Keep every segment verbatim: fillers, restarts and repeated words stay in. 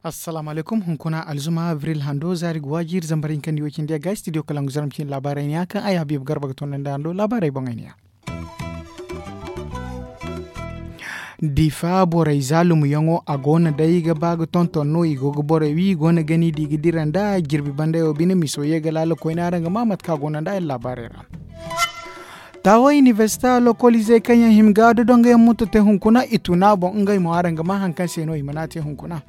Assalaamu alaykum. Hunkuna alzuma abril hando zaari ga waaji iri zambar hinka nda iway cindi yagga studio kalangu zarma cine laabaarey ne ya kaŋ ay habiibu garba ga toonandi hando laabaarey boŋey ne ya. Difa borey zaalumyaŋo a go no day ga ba ga tonton no i go ga borey wi i go no ga ni di ga dira nda jirbi banday wo bine miso ye ga laala koyne araŋ ga ma mate kaŋ a go no nda iri laabaarey ra. Taawa inibersita lokoliizey kaŋ yaŋ hima ga dodongo yaŋ mutu te hunkuna i tuna boŋ ngey mo araŋ ga ma hari kaŋ se no i mana te hunkuna.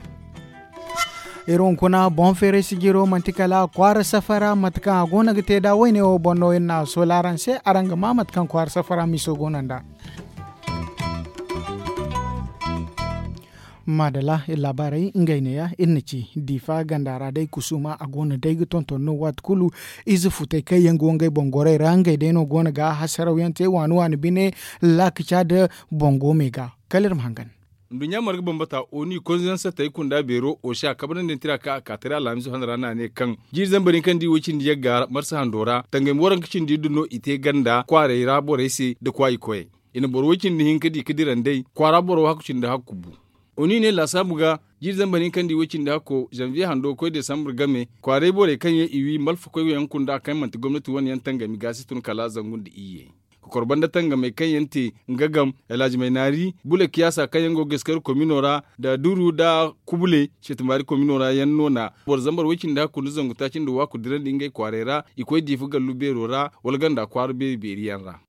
Iri hunkuna boŋ feeray sijiro manti kala kwaara safara mate kaŋ a go no ga te nd'a wayne wo boŋ no iri na a soola araŋ se araŋ ga ma mate kaŋ kwaara safara miso go no nd'a. Maadala iri laabaarey ngey neeya iri na ci diifa ganda ra day kusuuma a go no day ga tonton no waati kulu. Ize futey kaŋ yaŋ go ngey boŋ gorey ra ngey day no go no ga hasaraw yaŋ te waani waani bine laakaca nda boŋ go me ga kala iri ma hangan. Nduɲɲa marga bambata oni konzansatey kunda beero osi a kabrandi tira ka a ka tira alhamisu hana ra no a ne kaŋ jiiri zambar hinka nda iway cindi yagga marsa hando ra tangami waranka cindi iddu no i te ganda kwaarey ra borey se nda kwaayi koyey. I na boro way cindi hinka di ka dira nd'ey kwaara boro hakku cindi hakku bu. Oni ne laasaabu ga jiiri zambar hinka nda iway cindi hakko zanviye hando ga koy desambur game kwaaray borey kaŋ yaŋ i wi malfakoy yaŋ kunda kaŋ manti gomnati wane yaŋ tangami ga si tun kala zangu nda iyye. Kokor banda tangamey kaŋ yaŋ te nga gam alhaji maynaari bule kiyaasa kaŋ yaŋ go ga eskari komino ra nda duru nda kubule seetumbaari komino ra yaŋ no na boro zambar way cindi hakku nda zangu taaci nda waaku dirandi ngey kwaaray ra i koy diifa gallu beero ra wala ganda kwaara beeri beeri yaŋ ra.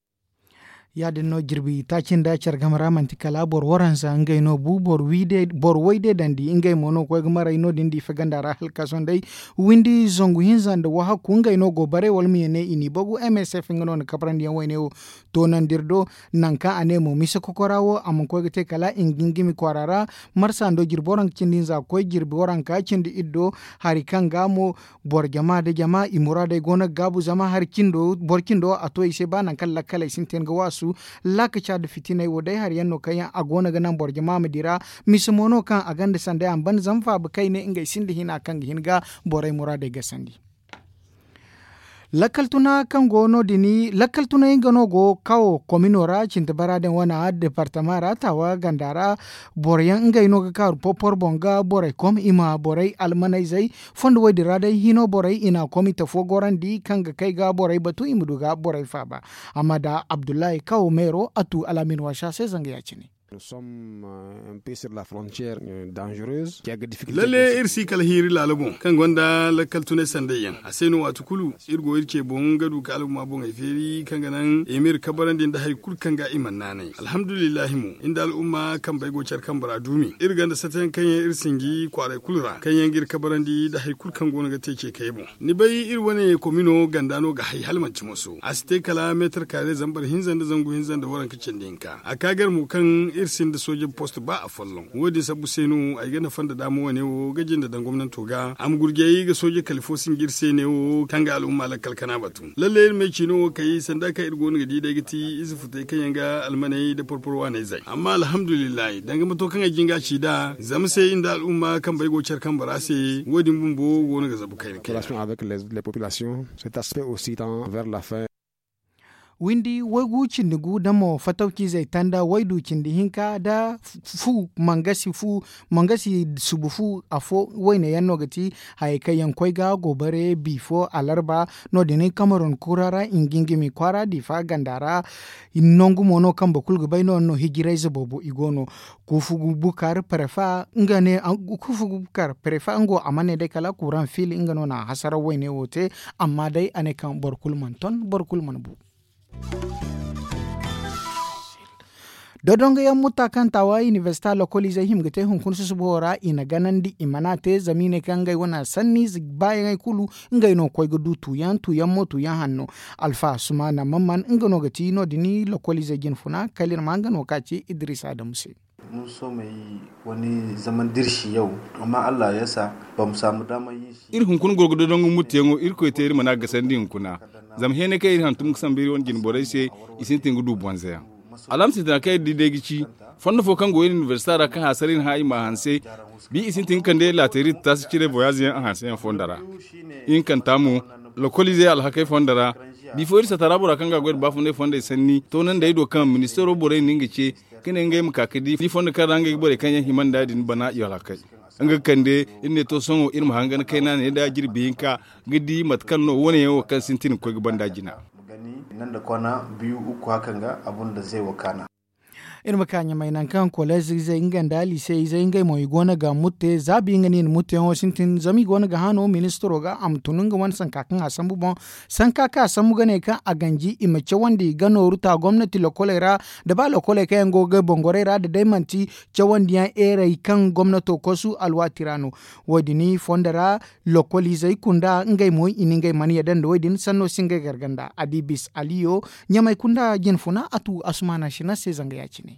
Ya- din no jirbi taaci nda care game ra manti kala boro waranza ngey no bu boro way day dandi ngey mo no ga koy ga maray no- din diifa ganda ra hala ka sohõ day windi zangu hinza nda wahakku ngey no go bare wala ma ye ne i n'i bagu msf nga no na kabrandi yaŋ wayne wo toonandi iri do. Nangu kaŋ a ne mo mise kokora wo a mana koy ga te kala i ma gingimi kwaara ra marsa ndo jirbi waranka cindi hinza ga koy jirbi waranka cindi iri do hari kaŋ ga mo boro jama nda jama i muraadey go no ga gaabu zama hari cindo boro cindo a to i se ba nangu kaŋ lakkaley sintin ga waasu. Laakaca nda fitiney wo day hari yaŋ no kaŋ yaŋ a go no ga naŋ boro jama ma dira mise mo no kaŋ a gonda sanday a ma banda zama faaba kayne ngey sinda hina kaŋ ga hin ga borey muraadey gasandi. Lakkal tuna kaŋ go no- din lakkal tunay nga no go kawo komino ra cinti bara din wana departama ra taawa ganda ra boro yaŋ ngey no ga kaaru porpor boŋ ga borey kom i ma borey almanayzey fondo wo- din ra day hino borey i na a kom i tafo gorandi kaŋ ga kay ga borey batu i ma du ga borey faaba. Amma da abdullahi kawo meero a tu alaamin waasa se zanga ya- cine. Lalle iri si kala hiiri laala boŋ kaŋ gonda lakkal tunay sanday yaŋ a se no waati kulu iri go iri ce boŋ ga du ka al'umma boŋey feeri kaŋ ga naŋ i ma iri kabarandi nda hari kulu kaŋ ga i mana naanay alhamdulillahi mo iri nda al'umma kambey go care kambe ra duumi iri gonda sata yaŋ kaŋ yaŋ iri sinji kwaaray kulu ra kaŋ yaŋ ga iri kabarandi nda hari kulu kaŋ go no ga te ce kay boŋ. Ni bay iri wane komino ganda no ga hay hala manti moso a si te kala meetar kaare zambar hinza nda zangu hinza nda waranka cindi hinka a ka gar mo kaŋ iri sinda sooje post ba afolloŋ wo- din sabbu se no ay ga nafa nda daama wane wo ga jinde daŋ gomnanto ga a ma gurjay ga sooje kala fo sinji iri se ne wo kaŋ ga al'umma lakkal kana batu lalle iri ma ay ciino wo kay sanda kaŋ iri go no ga di day ga ti ize futay kaŋ yaŋ ga almaney nda porpor waaney zay amma alhamdulillahi danga mato kaŋ ay jinga ci nd'a zama se iri nda al'umma kambey go care kambe ra se wo- din bumbo go no ga zabu kayna kayna. Windi waygu cindi gu da mo fatawciizey tanda waydu cindi hinka da fu mangasi fu mangasi subu fu afo wayne yaŋ no ga ti hayey kaŋ yaŋ koy ga go bare bi fo alarba no- din kamerun kura ra i ma gingimi kwaara diifa ganda ra. Nangu mo no kambe kulu ga bay no- din no hijirayze boobo i go no kuufu bukar prefa nga ne kuufu bukar prefa nga wo a mana ne day kala kuran fil nga no na a hasaraw wayne wo te. Amma day a ne kaŋ boro kulu mana ton boro kulu mana bu. Dodongo yaŋ mutta kaŋ taawa inibersita lokoliizey hima ga te hunkuna susubo ra i na ganandi i mana te zama i ne kaŋ ngey wane sanni baayaŋey kulu ngey no ga koy ga du tuuyaŋ tuuyaŋ mo tuuyaŋ hanno. Alfa sumaana mamman nga no ga ti no- din lokoliizey jinfuna kala iri ma nga no ka ci idris adamu se. Iri hunkuna gorgo dodongo muttiyaŋo irkoy te iri mana gasandi hunkuna. Zama heenay kaŋ iri hantum ga sambu iri wane jine borey se i sintin ga du bonzayaŋ. Alhamsi tana kaŋ iri di day ga ci fondo fo kaŋ go iri inibersita ra kaŋ haasara iri hã i ma a hanse. Bi i sintin ga kande laateeri taasi cire voyaaze yaŋ a hanse yaŋ fondo ra. Ihinkanta mo lokoliizey alhakey fondo ra. Bifo iri sata ra bora kaŋ ga a goy nda baafunay fondey sanni toonandi ay do kaŋ ministeero borey na nga ce ka ne ngey ma ka ka di fondo kaŋ ra ngey ga borey kaŋ yaŋ hima nda din bana i alhakey. Nga ga kande iri ne to sohõ iri ma hangan kayna ne nda jirbi hinka ga di mate kaŋ no wane yaŋ wo kaŋ sintin ga koy ga banda jina. Iri ma ka ɲamay nangu kaŋ koleez izey nga nda liise izey ngey mo i go no ga mutte za bi nga no i na mutteyaŋo sintin zama i go no ga hã no ministiro ga a ma tun nga wane sanka kaŋ a sambu boŋ. Sanka kaŋ a sambu ga ne kaŋ a ganji i ma cawandi ga nooru ta gomnati lokoley ra, da ba lokoley kaŋ yaŋ go ga bongorey ra da day manti cawandiyaŋ eerey kaŋ gomnato kosu alwaati ra no. Wo- din fondo ra lokoliizey kunda ngey mo i na ngey mana yadda nda wo- din sanno si ngey garganda a di bis aliyo ɲamay kunda jinfuna a tu asumaana sina se zanga ya- cine.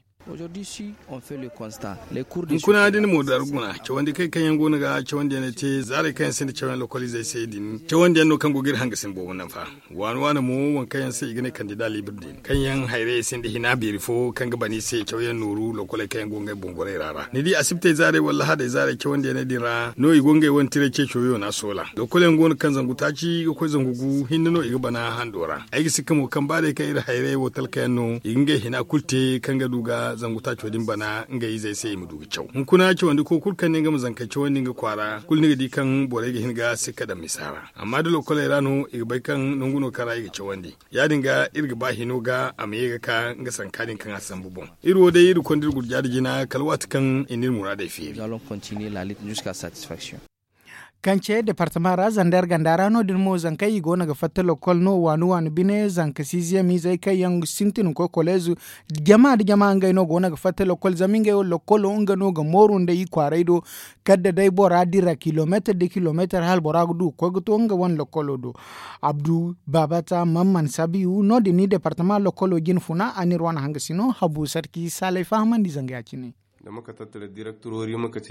Hunkuna da ni mo da arguna cawandi kay kaŋ yaŋ go no ga cawandiyaŋ te zaarey kaŋ yaŋ sinda cawyaŋ lokoliizey se din cawandiyaŋ no kaŋ go ga iri hangasin boobo naŋ fa. Waani waani mo waŋ kaŋ yaŋ se i ga ne kandida liibir din kaŋ yaŋ hayrayey sinda hina beeri fo kaŋ ga bana i se cawyaŋ nooru lokoley kaŋ yaŋ go ngey bongorey ra ra ni di asibtey zaarey wala hadey zaarey cawandiyaŋey din ra no i go ngey wane tiray ceeco yoona soola. Lokolyaŋ go no kaŋ zangu taaci ga koy zangu gu hinne no i ga bana hando ra. Ay ga sikka mo kaŋ ba day kaŋ iri hayrayey wo talkayaŋ no i ga ngey hina kulu te kaŋ ga du ga zangu taaco din bana ngey izey se i ma du ga caw hunkuna cawandi ko kulu kaŋ ne nga ma zankey cawandi nga kwaara kulu ni ga di kaŋ borey ga hin ga sikka daŋ misa ra. Amma da lokoley ra no i ga bay kaŋ nangu no kaŋ ra i ga cawandi. Ya- din ga iri ga ba hino ga a ma ye ga ka nga sanka din kaŋ a sambu boŋ. Iri wo day iri konda iri gurja nda jina kala waati kaŋ i na iri muraadey feeri. Kance departama ra zander ganda ra no- din mo zankey i go no ga fatta lokol no waani waani bine zanka siiziyamiizey kaŋ yaŋ sintin ga koy koleezu. Jama nda jama ngey no go no ga fatta lokol zama ngey wo lokolo nga no ga mooru nda i kwaaray do. Kala da day bora dira kilomeetar da kilomeetar hala bora ga du ga koy ga to nga wane lokolo do. Abdu baabata mamman sabiyu no- din ni departama lokolo jinfuna a n'iri wane hangasino habu sarki saalay fahamandi zanga ya- cine.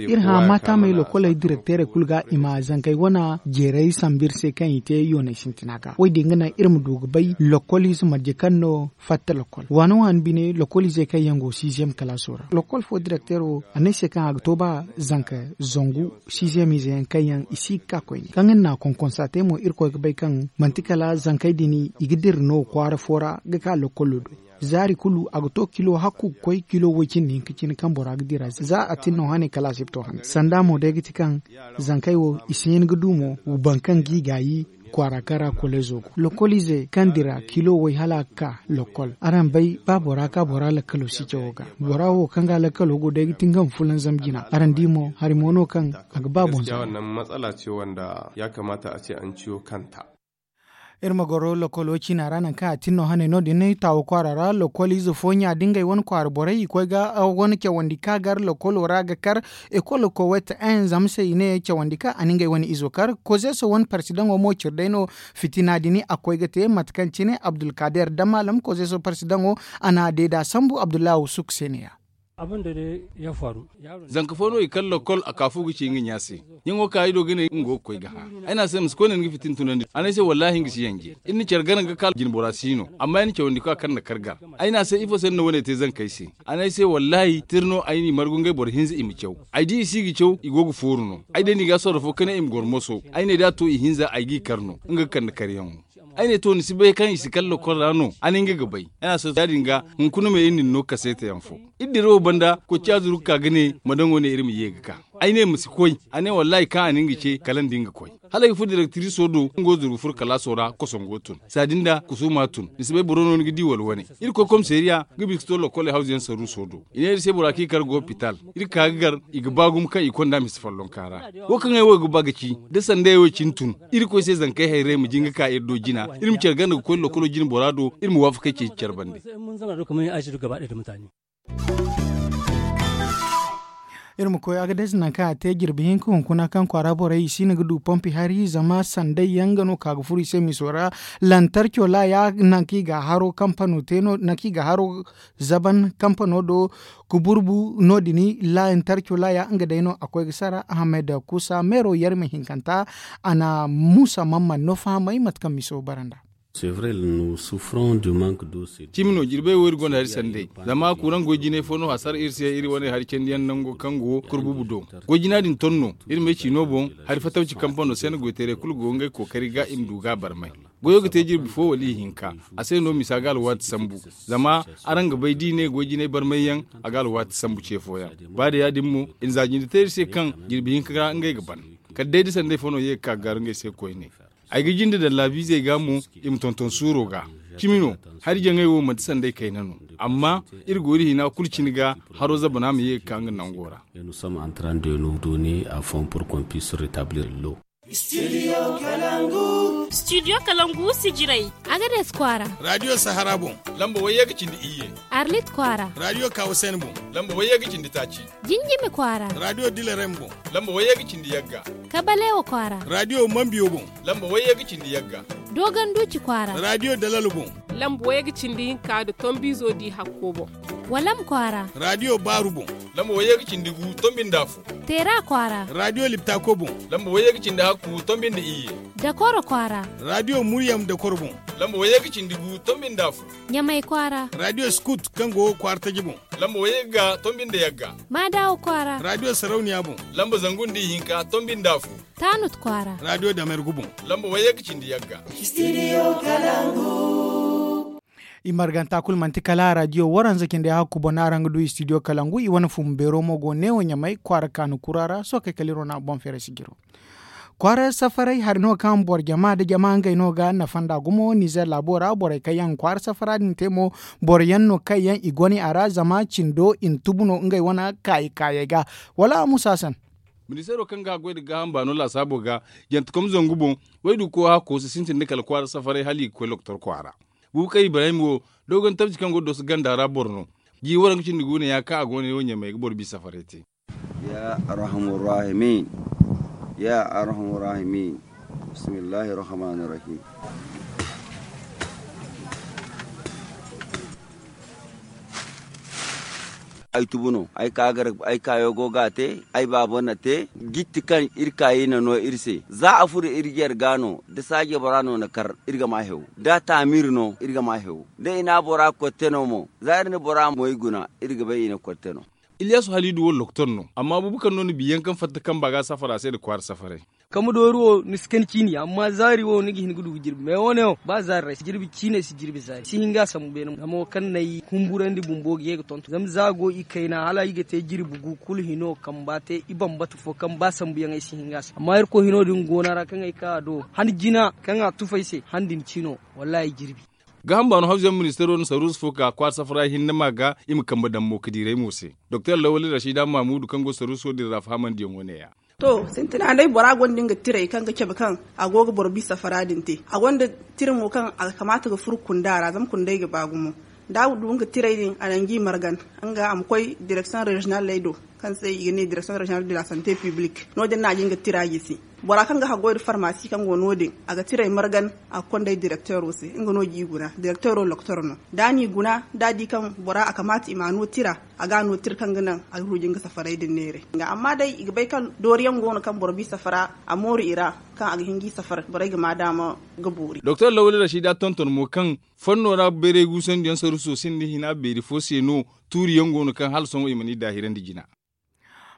Iri hã maataamey lokoley direkteerey kulu ga i ma zankey wane jeeray sambu iri se kaŋ i te yooney sintina ga wo- din ga naŋ iri ma du ga bay lokoliize marje kaŋ no fatta lokol waani waani bine lokoliizey kaŋ yaŋ go siiziyem kalaaso ra lokol fo direkteero a ne ay se kaŋ a ga to ba zanka zangu siiziyemiize yaŋ kaŋ yaŋ i si ga ka koyne kaŋ iri n'a konkonsa te mo irkoy ga bay kaŋ manti kala zankey din i ga dira no kwaara fo ra ga ka lokolo do. Zaari kulu a ga to kilo hakku ga koy kilo woy cindi hinka cine kaŋ bora ga dira za a tin no hane kala a si ga to hane sanda mo day ga ti kaŋ zankey wo i si hin ga du mo baŋ kaŋ g'i gaayi kwaara kaŋ ra koleezo go lokoliize kaŋ dira kilo woy hala a ga ka lokol araŋ bay ba bora ka bora lakkalo si cawo ga bora wo kaŋ ga lakkalo go day ga ti nga ma fulanzam jina araŋ di mo hari mo no kaŋ a ga ba boŋ zama. Matsala ce wanda ya kamata a ce an ciyo kanta. Iri ma goro lokolo ciina ra nangu kaŋ a tin no hane no- din taawo kwaara ra lokol ize fo ɲa da ngey wane kwaara borey i koy ga wane cawandi ka gar lokolo ra ga kar ekol kowet en zama se i ne cawandi kaŋ a na ngey wane izo kar kozeso wane parsidaŋo mo cire day no. Fitina din a koy ga te mate kaŋ cine abdulkader da maalam kozeso parsidaŋo a n'a deeda sambu abdullahi suk se ne ya. Zanka fo no i kar lokol a ka fu ga ci nga ɲa se. Ɲaŋo ka ay do ga ne nga go ga koy ga hã. Ay ne a se ma si koy ne ni ga fitina tunandi a ne ay se wallahi nga si yanje. Iri na care gar nga ga ka jinbora si no amma ay na cawandi ka kar nda kar gar. Ay ne a se ifo se ni na wane te zankey se? A ne ay se wallahi tira no ay n'i margu ngey boro hinza i ma caw. Ay di i si ga caw i go ga fooru no. Ay day no i ga a sorro fo ka ne i ma goro moso. Ay ne da a to ihinza ay g'i kar no nga ga kande karyaŋo. Ay ne to ni si bay kaŋ i si kar lokol ra no a ne nga ga bay. Ay ne a se ya- din ga hunkuna me iri na ni no kaseeta yaŋ fo. Iri dira wo banda koy caazuruka ga ne ma daŋo ne iri ma ye ga ka. Ay ne ma si koy. A ne wallahi kaŋ a na nga ce kala nda nga koy. Hala ay ga furo direktiriso do nga wo zuru ga furo kalaaso ra kosongo tun saadin da kusuuma tun ni si bay boro no ni ga di wala wane. Iri koy komiseeriya ga bisa ga to lokol hawzu yaŋ saruuso do. I ne iri se bora kaŋ i kar ga hopital. Iri ka ga gar i ga ba gumo kaŋ i konda misa follonka ra. Wo kaŋ ay wo ga ba ga ci da sandayey wo cine tun. Iri koy se zankey hayrayey ma jin ga ka iri do jina iri ma care ganda ga koy lokolo jine bora do iri ma waafakey ceeci care bande. Iri ma koy agades nangu kaŋ a te jirbi hinka hunkuna kaŋ kwaara borey i si no ga du pompi hari zama sanday yaŋ nga no ka ga furo i se miso ra. Lantarco laaya nangu kaŋ i ga a haro kampano te no nangu kaŋ i ga a haro zaban kampano do. Kuburbu no- din lantarco laaya nga day no a koy ga sara ahmed kusa meero yarme hinkanta. A na muusa mamman no fahamay mate kaŋ miso bara nd'a. Cimi no jirbey wo iri gonda hari sanday, zama kuraŋ goy jinay fo no hasara iri se iri wane hari candiyaŋ nango kaŋ go kurbubu do. Goy jina din ton no iri ma ay ci no boŋ. Hari fatawci kampano se no goytaray kulu go ngey kookari ga i ma du ga a barmay. Goyo ga te jirbi fo wala ihinka. A se no misa ga alwaati sambu. Zama araŋ ga bay da i ne goy jinay barmay yaŋ, a ga alwaati sambu ce fooyaŋ. Ba da ya- din mo, i na za jinde te iri se kaŋ jirbi hinka ra ngey ga ban. Kala day da sanday fo no ye ga ka ga gaaru ngey se koyne. Ay ga jinde daŋ laabiizey ga mo, i ma tonton suuro ga. Cimi no, hari jaŋey wo manti sanday kayna no. Amma iri go iri hina kulu cine ga, haro zabana ma ye ga ka nga nango ra. Studio kalangu si jiray. Agades kwaara. Radiyo sahara boŋ. Lamba wayye ga cindi iyye. Arlit kwaara. Radiyo kawasen boŋ. Lamba wayye ga cindi taaci. Jinjimi kwaara. Radiyo dilarem boŋ. Lamba wayye ga cindi yagga. Kabalewa kwaara. Radiyo mambiyo boŋ. Lamba wayye ga cindi yagga. Doganduci kwaara. Radiyo dalal boŋ. Lamba wayye ga cindi hinka da tombizo di hakko boŋ. Walam kwaara. Radiyo baaru boŋ. Lamba wayye ga cindi gu tombinda fo. Teera kwaara. Radiyo liptako boŋ. Lamba wayye ga cindi hakku tombinda iyye. Dakoro kwaara. Radiyo muryam dakoro boŋ. Lamba wayye ga cindi gu tombinda fo. Ɲamay kwaara. Radiyo skut kaŋ go kwaara taji boŋ. Lamba wayye ga tombinda yagga. Maadawa kwaara. Radiyo sarauniya boŋ. Lamba zangu nda ihinka tombinda fo. Taanut kwaara. Radiyo damergu boŋ. Lamba wayye ga cindi yagga. Studio kalangu. I marganta kulu manti kala radiyo waranza cindey hakku boŋ no araŋ ga du studio kalangu. I wane fumbu beero mo go neewo ɲamay kwaara kaanu kura ra sookay kala iri wane boŋ feeray si jiro. Kwaara safaray hari no kaŋ boro jama nda jama ngey no ga nafa nd'a gumo nizer laabo ra borey kaŋ yaŋ kwaara safara din te mo, boro yaŋ no kaŋ yaŋ i gone a ra zama cindo i na tubu no ngey wane kaayi kaayey ga. Wala musa san. Ministeero kaŋ ga a goy nda gaaham baano laasaabo ga, jantekom zangu boŋ, wayduko hakko si sintin nda kala kwaara safaray hala i ga koy lokotor kwaara. Buubu kay ibrahim wo, dogon tabci kaŋ go dooso ganda ra boro no. Ji waranka cindi guuna ya kaŋ a go no yaŋ wo ɲamey ga boro bi safaray te. Ya arhamur rahimin. Ya arhamur rahimin. Bismillahi rahmani rahim. Ay tubu no ay ka gar ay kayo go ga te. Ay baabo na te. Gitti kaŋ iri kaayi na no iri se za a furo iri jar ga no da saaje bora no na kar iri ga ma hew. Da taamiri no iri ga ma hew da i na bora kotte no mo za iri na bora moy guna iri ga bay i na kotte no. Iliyasu halidu wo lokotor no amma buubu kaŋ no ni biyaŋ kaŋ fatta kamba ga safara se nda kwaara safaray. Kambe doori wo ni si kani ciini amma zaari wo ni ga hin ga du ga jirbi mais wo- ne wo ba zaari ra ay si jirbi ciini ay si jirbi zaari si hin ga a sambu beene mo zama wo kaŋ na ay humburandi bumbo ga ye ga tonton zama za a go i kayna hala i ga te jirbi gu kulu hino kamba te i bambata fo kaŋ ba sambu yaŋ ay si hin ga a sambu amma irkoy hino din go no a ra kaŋ ay ka a do han jina kaŋ a tufa ay se han din ciino. Wallahi ay jirbi. Gaaham baano hawzuyaŋ ministeero na saruusu fo ka kwaara safara hinne ma ga i ma kambe daŋ mo ka diiray mo se. Doktor lawali rashida maamuudu kaŋ go saruuso din ra fahamandiyaŋo ne- ya. To sintina day bora gonda nga tiray kaŋ ga cabe kaŋ a go ga boro bi safara din te a gonda tira mo kaŋ a ga kamaata ga furo kunda ra zama kunday ga ba gumo da a du nga tiray din a na ngi margan nga a ma koy direksiyoŋ rezinaley do kaŋ se i ga ne direksiyoŋ rezinal de la sante piblik no- din no a ga nga tira gisi. Bora kaŋ ga haggoy nda farmasi kaŋ go no- din a ga tiray margan a ga konday direkteero se nga no ga i guna direkteero loktor no da a n'i guna da a di kaŋ bora a kamaata i ma a no tira a ga a no tira kaŋ ga naŋ a ga ruuji nga safaray din neeray. Amma day i ga bay kaŋ dooriyaŋ go no kaŋ boro bi safara a mooru i ra kaŋ a ga hin ga i safar borey ga ma daama ga boori. Doktor lawali rashida tonton mo kaŋ fanno ra bayray guusandiyaŋ saruuso sinda hina beeri fo se no tuuriyaŋ go no kaŋ hala sohõ i mana i daahirandi jina.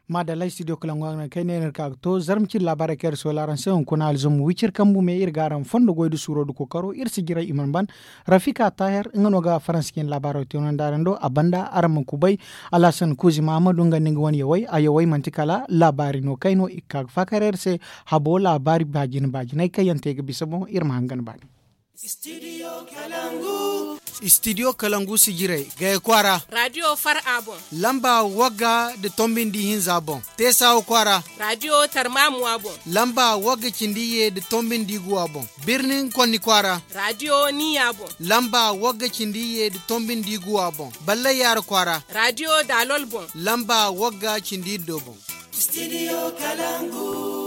Maadallay studio kalangu araŋ kaŋ ay ne no iri ka ga to zarma cindi laabaarey kaŋ iri soola araŋ se hunkuna alzuma wiciri kambu me iri ga araŋ fondo goy nda suuro nda kookaro iri si jiray i mana ban. Rafika taher nga no ga faransa cindi laabaaro te no nda araŋ do a banda araŋ ma kubay. Alhasan kuuzi mahamadu nga nda nga wane yawey a yawey manti kala laabaari no kayno i ga ka ga faakar iri se. Habo laabaari baajina baajinay kaŋ yaŋ te ga bisa boŋ iri ma hangan baani. Studio kalangu si jiray gaya kwaara. Radio far a boŋ. Lamba wagga nda tombi nda ihinza boŋ. Teesawa kwaara. Radio tarmamuwa boŋ. Lamba wagga cindi iyye nda tombi nda iguwa boŋ. Birnin konni kwaara. Radio niya boŋ. Lamba wagga cindi iyye nda tombi nda iguwa boŋ. Ballay yaara kwaara. Radio daalol boŋ. Lamba wagga cindi iddo boŋ. Studio kalangu.